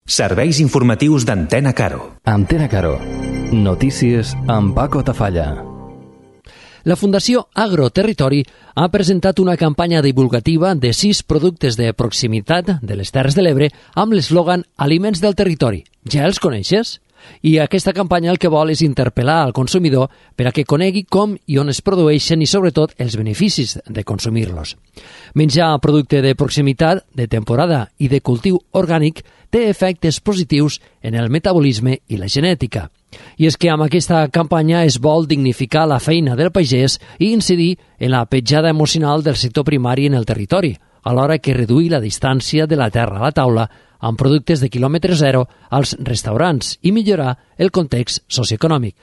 Serveis informatius d'Antena Caro. Antena Caro. Notícies amb Paco Tafalla. La Fundació Agroterritori ha presentat una campanya divulgativa de 6 productes de proximitat de les Terres de l'Ebre amb l'eslògan Aliments del territori. Ja els coneixes? I aquesta campanya el que vol és interpel·lar al consumidor per a que conegui com i on es produeixen i, sobretot, els beneficis de consumir-los. Menjar producte de proximitat, de temporada i de cultiu orgànic té efectes positius en el metabolisme i la genètica. I és que amb aquesta campanya es vol dignificar la feina del pagès i incidir en la petjada emocional del sector primari en el territori, alhora que reduir la distància de la terra a la taula amb productes de quilòmetre zero als restaurants i millorar el context socioeconòmic.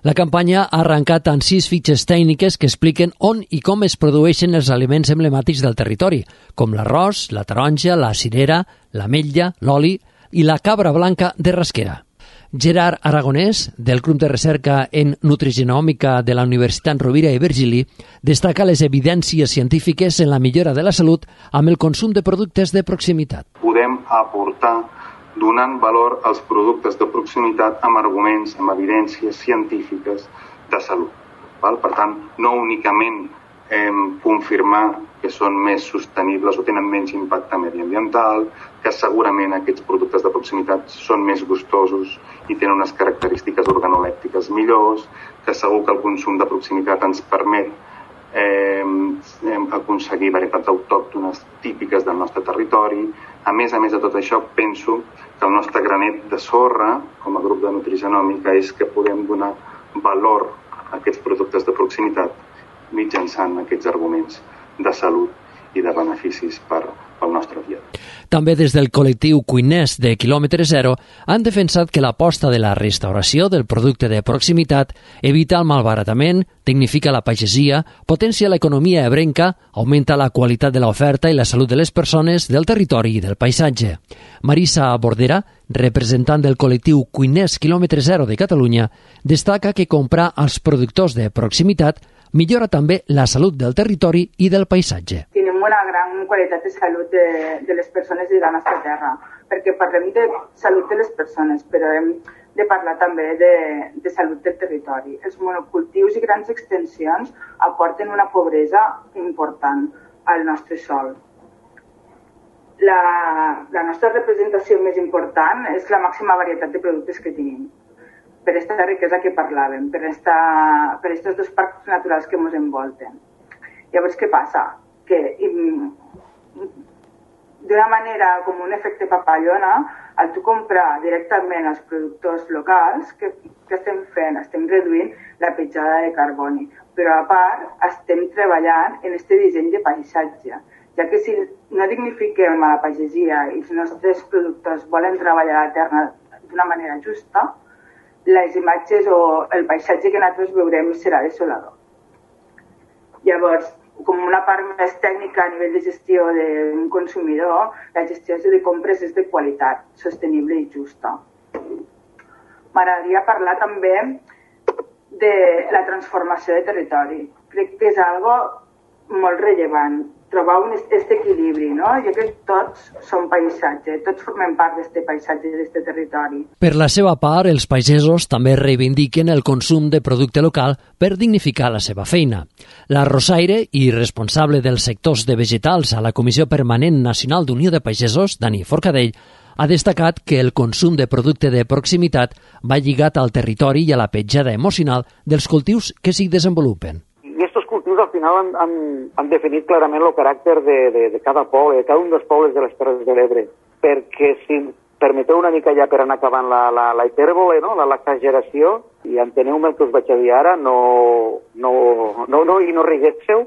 La campanya ha arrencat amb 6 fitxes tècniques que expliquen on i com es produeixen els aliments emblemàtics del territori, com l'arròs, la taronja, la cirera, l'ametlla, l'oli i la cabra blanca de rasquera. Gerard Aragonès, del grup de recerca en nutrigenòmica de la Universitat Rovira i Virgili, destaca les evidències científiques en la millora de la salut amb el consum de productes de proximitat. Podem aportar donant valor als productes de proximitat amb arguments, amb evidències científiques de salut. Per tant, no únicament confirmar que són més sostenibles o tenen menys impacte mediambiental, que segurament aquests productes de proximitat són més gustosos i tenen unes característiques organolèptiques millors, que segur que el consum de proximitat ens permet aconseguir varietats autòctones típiques del nostre territori. A més de tot això, penso que el nostre granet de sorra, com a grup de nutrigenòmica, és que podem donar valor a aquests productes de proximitat mitjançant aquests arguments de salut i de beneficis pel nostre dia. També des del col·lectiu cuiners de quilòmetre zero han defensat que l'aposta de la restauració del producte de proximitat evita el malbaratament, dignifica la pagesia, potencia l'economia ebrenca, augmenta la qualitat de l'oferta i la salut de les persones, del territori i del paisatge. Marisa Bordera, representant del col·lectiu Cuiners quilòmetre zero de Catalunya, destaca que comprar als productors de proximitat millora també la salut del territori i del paisatge. Tenim una gran qualitat de salut de les persones i de la nostra terra, perquè parlem de salut de les persones, però hem de parlar també de salut del territori. Els monocultius i grans extensions aporten una pobresa important al nostre sòl. La nostra representació més important és la màxima varietat de productes que tenim, per aquesta riquesa que parlàvem, per aquests 2 parcs naturals que ens envolten. Llavors, què passa? Que d'una manera com un efecte papallona, al tu comprar directament als productors locals, que estem fent? Estem reduint la petjada de carboni, però a part estem treballant en aquest disseny de paisatge, ja que si no dignifiquem a la pagesia i els nostres productors volen treballar la terra d'una manera justa, les imatges o el paisatge que nosaltres veurem serà desolador. Llavors, com una part més tècnica a nivell de gestió d'un consumidor, la gestió de compres és de qualitat, sostenible i justa. M'agradaria parlar també de la transformació de territori. Crec que és algo molt rellevant, trobar aquest equilibri, no? Jo crec que tots som paisatge, tots formem part d'aquest paisatge, d'aquest territori. Per la seva part, els pagesos també reivindiquen el consum de producte local per dignificar la seva feina. La Rosaire i responsable dels sectors de vegetals a la Comissió Permanent Nacional d'Unió de Pagesos, Dani Forcadell, ha destacat que el consum de producte de proximitat va lligat al territori i a la petjada emocional dels cultius que s'hi desenvolupen. Al final han definit clarament el caràcter de cada poble, de cada un dels pobles de les Terres de l'Ebre, perquè si permeteu una mica ja per anar acabant la hipèrbole, no? L'exageració, i enteneu-me el que us vaig a dir ara, i no riguésseu,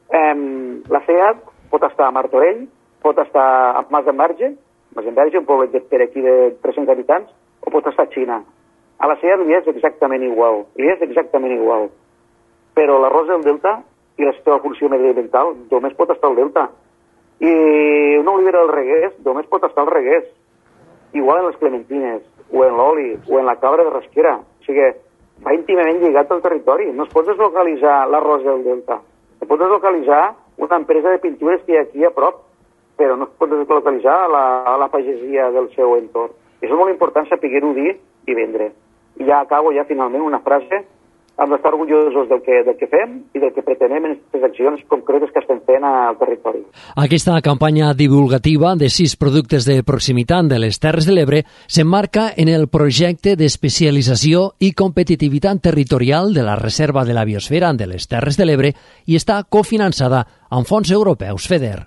la CEAT pot estar a Martorell, pot estar a Mas d'Enverge, un poble per aquí de 300 habitants, o pot estar a Xina. A la CEAT li és exactament igual, però l'arròs del Delta i la seva funció mediambiental només pot estar al Delta. I una olivera del Reguers només pot estar al Reguers. Igual en les clementines, o en l'oli, o en la cabra de rasquera. O sigui, va íntimament lligat al territori. No es pot deslocalitzar l'arròs del Delta. Es pot deslocalitzar una empresa de pintures que hi ha aquí a prop, però no es pot deslocalitzar a la pagesia del seu entorn. Això és molt important saber-ho dir i vendre. I ja acabo finalment una frase. Hem d'estar orgullosos del que fem i del que pretenem en aquestes accions concretes que estem fent al territori. Aquesta campanya divulgativa de 6 productes de proximitat de les Terres de l'Ebre s'emmarca en el projecte d'especialització i competitivitat territorial de la Reserva de la Biosfera de les Terres de l'Ebre i està cofinançada amb fons europeus FEDER.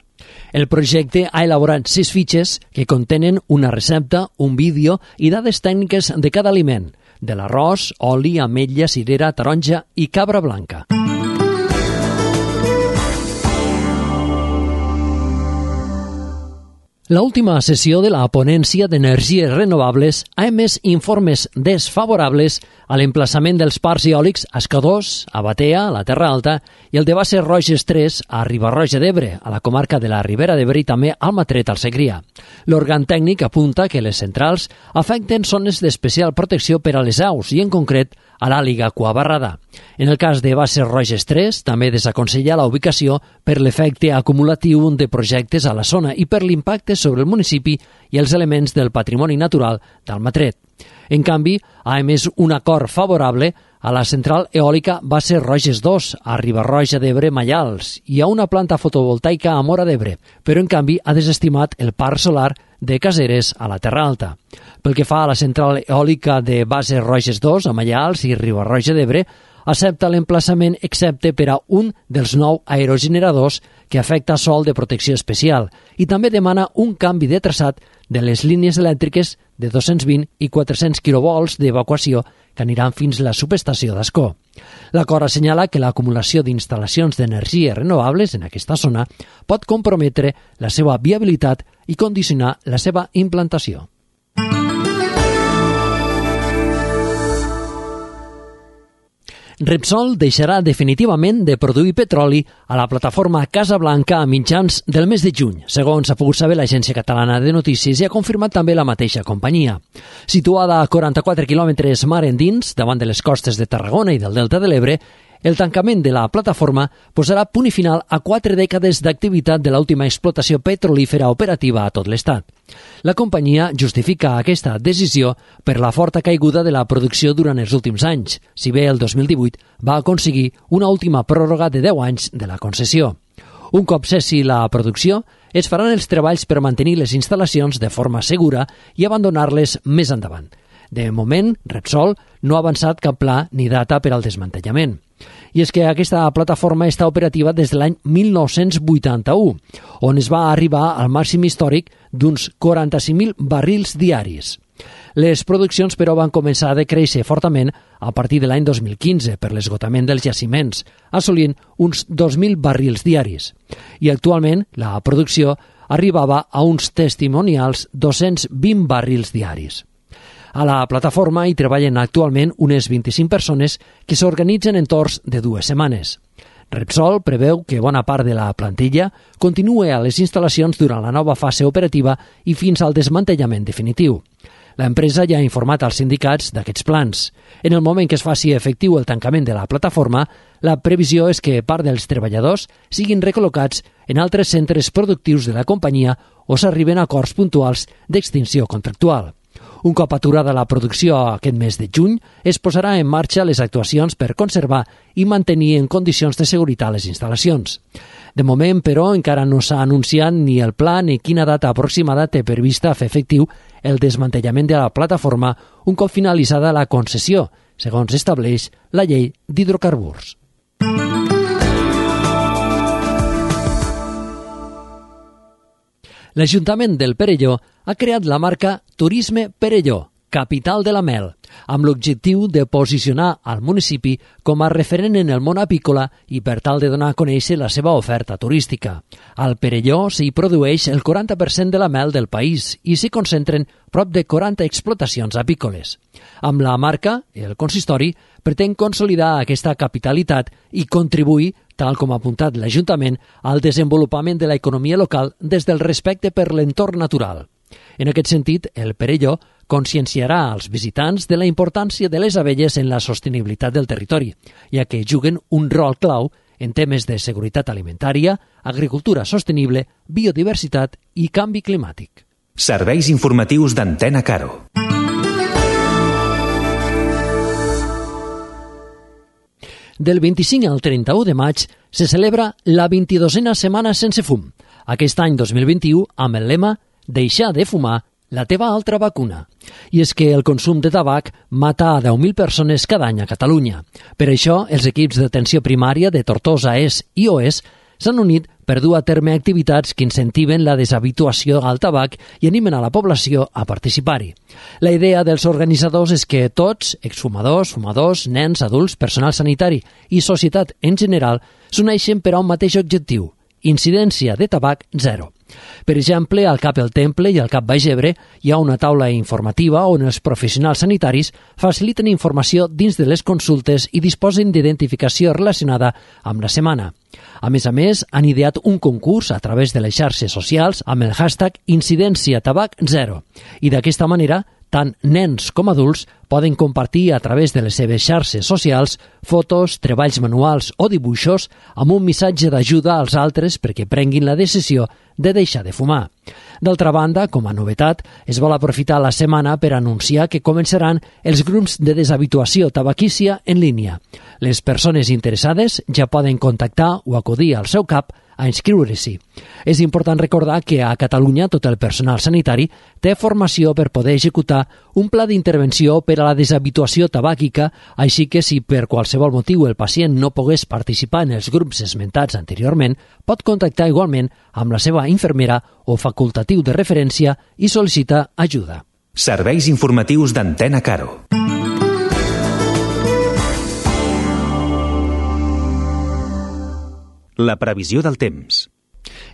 El projecte ha elaborat 6 fitxes que contenen una recepta, un vídeo i dades tècniques de cada aliment, de l'arròs, oli, ametlla, cirera, taronja i cabra blanca. L'última sessió de la ponència d'energies renovables ha emès informes desfavorables a l'emplaçament dels parcs eòlics a Escadós, a Batea, a la Terra Alta, i el de Bases Roges 3 a Riba-roja d'Ebre, a la comarca de la Ribera d'Ebre i també al Matret, al Segrià. L'òrgan tècnic apunta que les centrals afecten zones d'especial protecció per a les aus i, en concret, a l'àliga cuabarrada. En el cas de Bases Roges 3, també desaconsella la ubicació per l'efecte acumulatiu de projectes a la zona i per l'impacte sobre el municipi i els elements del patrimoni natural d'Almatret. En canvi, ha emès un acord favorable a la central eòlica Bases Roges 2 a Riba-roja d'Ebre, Maials, i a una planta fotovoltaica a Móra d'Ebre, però en canvi ha desestimat el parc solar de Caseres a la Terra Alta. Pel que fa a la central eòlica de Bases Roges 2 a Maials i Riba-roja d'Ebre, accepta l'emplaçament excepte per a un dels 9 aerogeneradors que afecta sòl de protecció especial i també demana un canvi de traçat de les línies elèctriques de 220 i 400 kV d'evacuació que aniran fins a la subestació d'Ascó. L'acord assenyala que l'acumulació d'instal·lacions d'energies renovables en aquesta zona pot comprometre la seva viabilitat i condicionar la seva implantació. Repsol deixarà definitivament de produir petroli a la plataforma Casablanca a mitjans del mes de juny, segons ha pogut saber l'Agència Catalana de Notícies i ha confirmat també la mateixa companyia. Situada a 44 quilòmetres mar endins, davant de les costes de Tarragona i del Delta de l'Ebre, el tancament de la plataforma posarà punt i final a 4 dècades d'activitat de l'última explotació petrolífera operativa a tot l'Estat. La companyia justifica aquesta decisió per la forta caiguda de la producció durant els últims anys, si bé el 2018 va aconseguir una última pròrroga de 10 anys de la concessió. Un cop cessi la producció, es faran els treballs per mantenir les instal·lacions de forma segura i abandonar-les més endavant. De moment, Repsol no ha avançat cap pla ni data per al desmantellament. I és que aquesta plataforma està operativa des de l'any 1981, on es va arribar al màxim històric d'uns 45.000 barrils diaris. Les produccions, però, van començar a decréixer fortament a partir de l'any 2015 per l'esgotament dels jaciments, assolint uns 2.000 barrils diaris. I actualment la producció arribava a uns testimonials 220 barrils diaris. A la plataforma hi treballen actualment unes 25 persones que s'organitzen en torns de 2 setmanes. Repsol preveu que bona part de la plantilla continue a les instal·lacions durant la nova fase operativa i fins al desmantellament definitiu. L'empresa ja ha informat als sindicats d'aquests plans. En el moment que es faci efectiu el tancament de la plataforma, la previsió és que part dels treballadors siguin recol·locats en altres centres productius de la companyia o s'arriben a acords puntuals d'extinció contractual. Un cop aturada la producció aquest mes de juny, es posarà en marxa les actuacions per conservar i mantenir en condicions de seguretat les instal·lacions. De moment, però, encara no s'ha anunciat ni el pla ni quina data aproximada té prevista fer efectiu el desmantellament de la plataforma un cop finalitzada la concessió, segons estableix la llei d'hidrocarburs. L'Ajuntament del Perelló ha creat la marca Turisme Perelló, capital de la mel, amb l'objectiu de posicionar al municipi com a referent en el món apícola i per tal de donar a conèixer la seva oferta turística. Al Perelló s'hi produeix el 40% de la mel del país i s'hi concentren prop de 40 explotacions apícoles. Amb la marca, el consistori pretén consolidar aquesta capitalitat i contribuir, tal com ha apuntat l'Ajuntament, al desenvolupament de l'economia local des del respecte per l'entorn natural. En aquest sentit, el Perelló conscienciarà als visitants de la importància de les abelles en la sostenibilitat del territori, ja que juguen un rol clau en temes de seguretat alimentària, agricultura sostenible, biodiversitat i canvi climàtic. Serveis informatius d'Antena Caro. Del 25 al 31 de maig se celebra la 22a Setmana Sense Fum. Aquest any 2021 amb el lema «Deixar de fumar, la teva altra vacuna». I és que el consum de tabac mata a 10.000 persones cada any a Catalunya. Per això, els equips d'atenció primària de Tortosa Est i Oest s'han unit per dur a terme activitats que incentiven la deshabituació al tabac i animen a la població a participar-hi. La idea dels organitzadors és que tots, exfumadors, fumadors, nens, adults, personal sanitari i societat en general, s'uneixen per a un mateix objectiu: incidència de tabac zero. Per exemple, al CAP El Temple i al CAP Baix Ebre hi ha una taula informativa on els professionals sanitaris faciliten informació dins de les consultes i disposen d'identificació relacionada amb la setmana. A més, han ideat un concurs a través de les xarxes socials amb el hashtag Incidència Tabac Zero. I d'aquesta manera, tant nens com adults poden compartir a través de les seves xarxes socials fotos, treballs manuals o dibuixos amb un missatge d'ajuda als altres perquè prenguin la decisió de deixar de fumar. D'altra banda, com a novetat, es vol aprofitar la setmana per anunciar que començaran els grups de deshabituació tabaquícia en línia. Les persones interessades ja poden contactar o acudir al seu CAP a inscriure-s'hi. És important recordar que a Catalunya tot el personal sanitari té formació per poder executar un pla d'intervenció per a la deshabituació tabàquica, així que si per qualsevol motiu el pacient no pogués participar en els grups esmentats anteriorment, pot contactar igualment amb la seva infermera o facultatiu de referència i sol·licitar ajuda. Serveis informatius d'Antena Caro. La previsió del temps.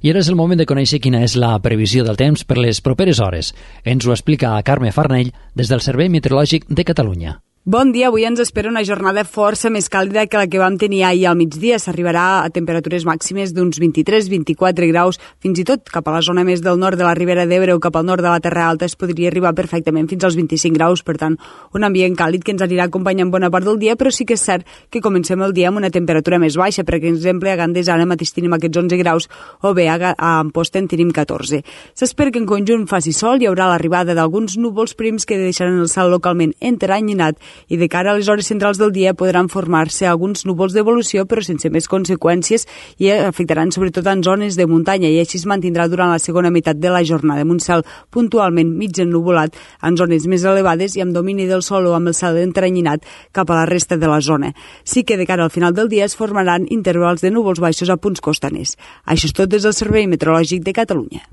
I ara és el moment de conèixer quina és la previsió del temps per les properes hores. Ens ho explica Carme Farnell des del Servei Meteorològic de Catalunya. Bon dia, avui ens espera una jornada força més càlida que la que vam tenir ahir al migdia. S'arribarà a temperatures màximes d'uns 23-24 graus, fins i tot cap a la zona més del nord de la Ribera d'Ebre o cap al nord de la Terra Alta es podria arribar perfectament fins als 25 graus, per tant, un ambient càlid que ens anirà acompanyant bona part del dia, però sí que és cert que comencem el dia amb una temperatura més baixa. Per exemple, a Gandés ara mateix tenim aquests 11 graus o bé a Amposta en tenim 14. S'espera que en conjunt faci sol, hi haurà l'arribada d'alguns núvols prims que deixaran el cel localment enteranyinat i de cara a les hores centrals del dia podran formar-se alguns núvols d'evolució però sense més conseqüències i afectaran sobretot en zones de muntanya i així es mantindrà durant la segona meitat de la jornada amb un cel puntualment mig ennuvolat en zones més elevades i amb domini del sol o amb el cel enteranyinat cap a la resta de la zona. Sí que de cara al final del dia es formaran intervals de núvols baixos a punts costaners. Això és tot des del Servei Meteorològic de Catalunya.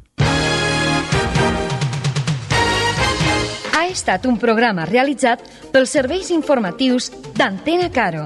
Ha estat un programa realitzat pels serveis informatius d'Antena Caro.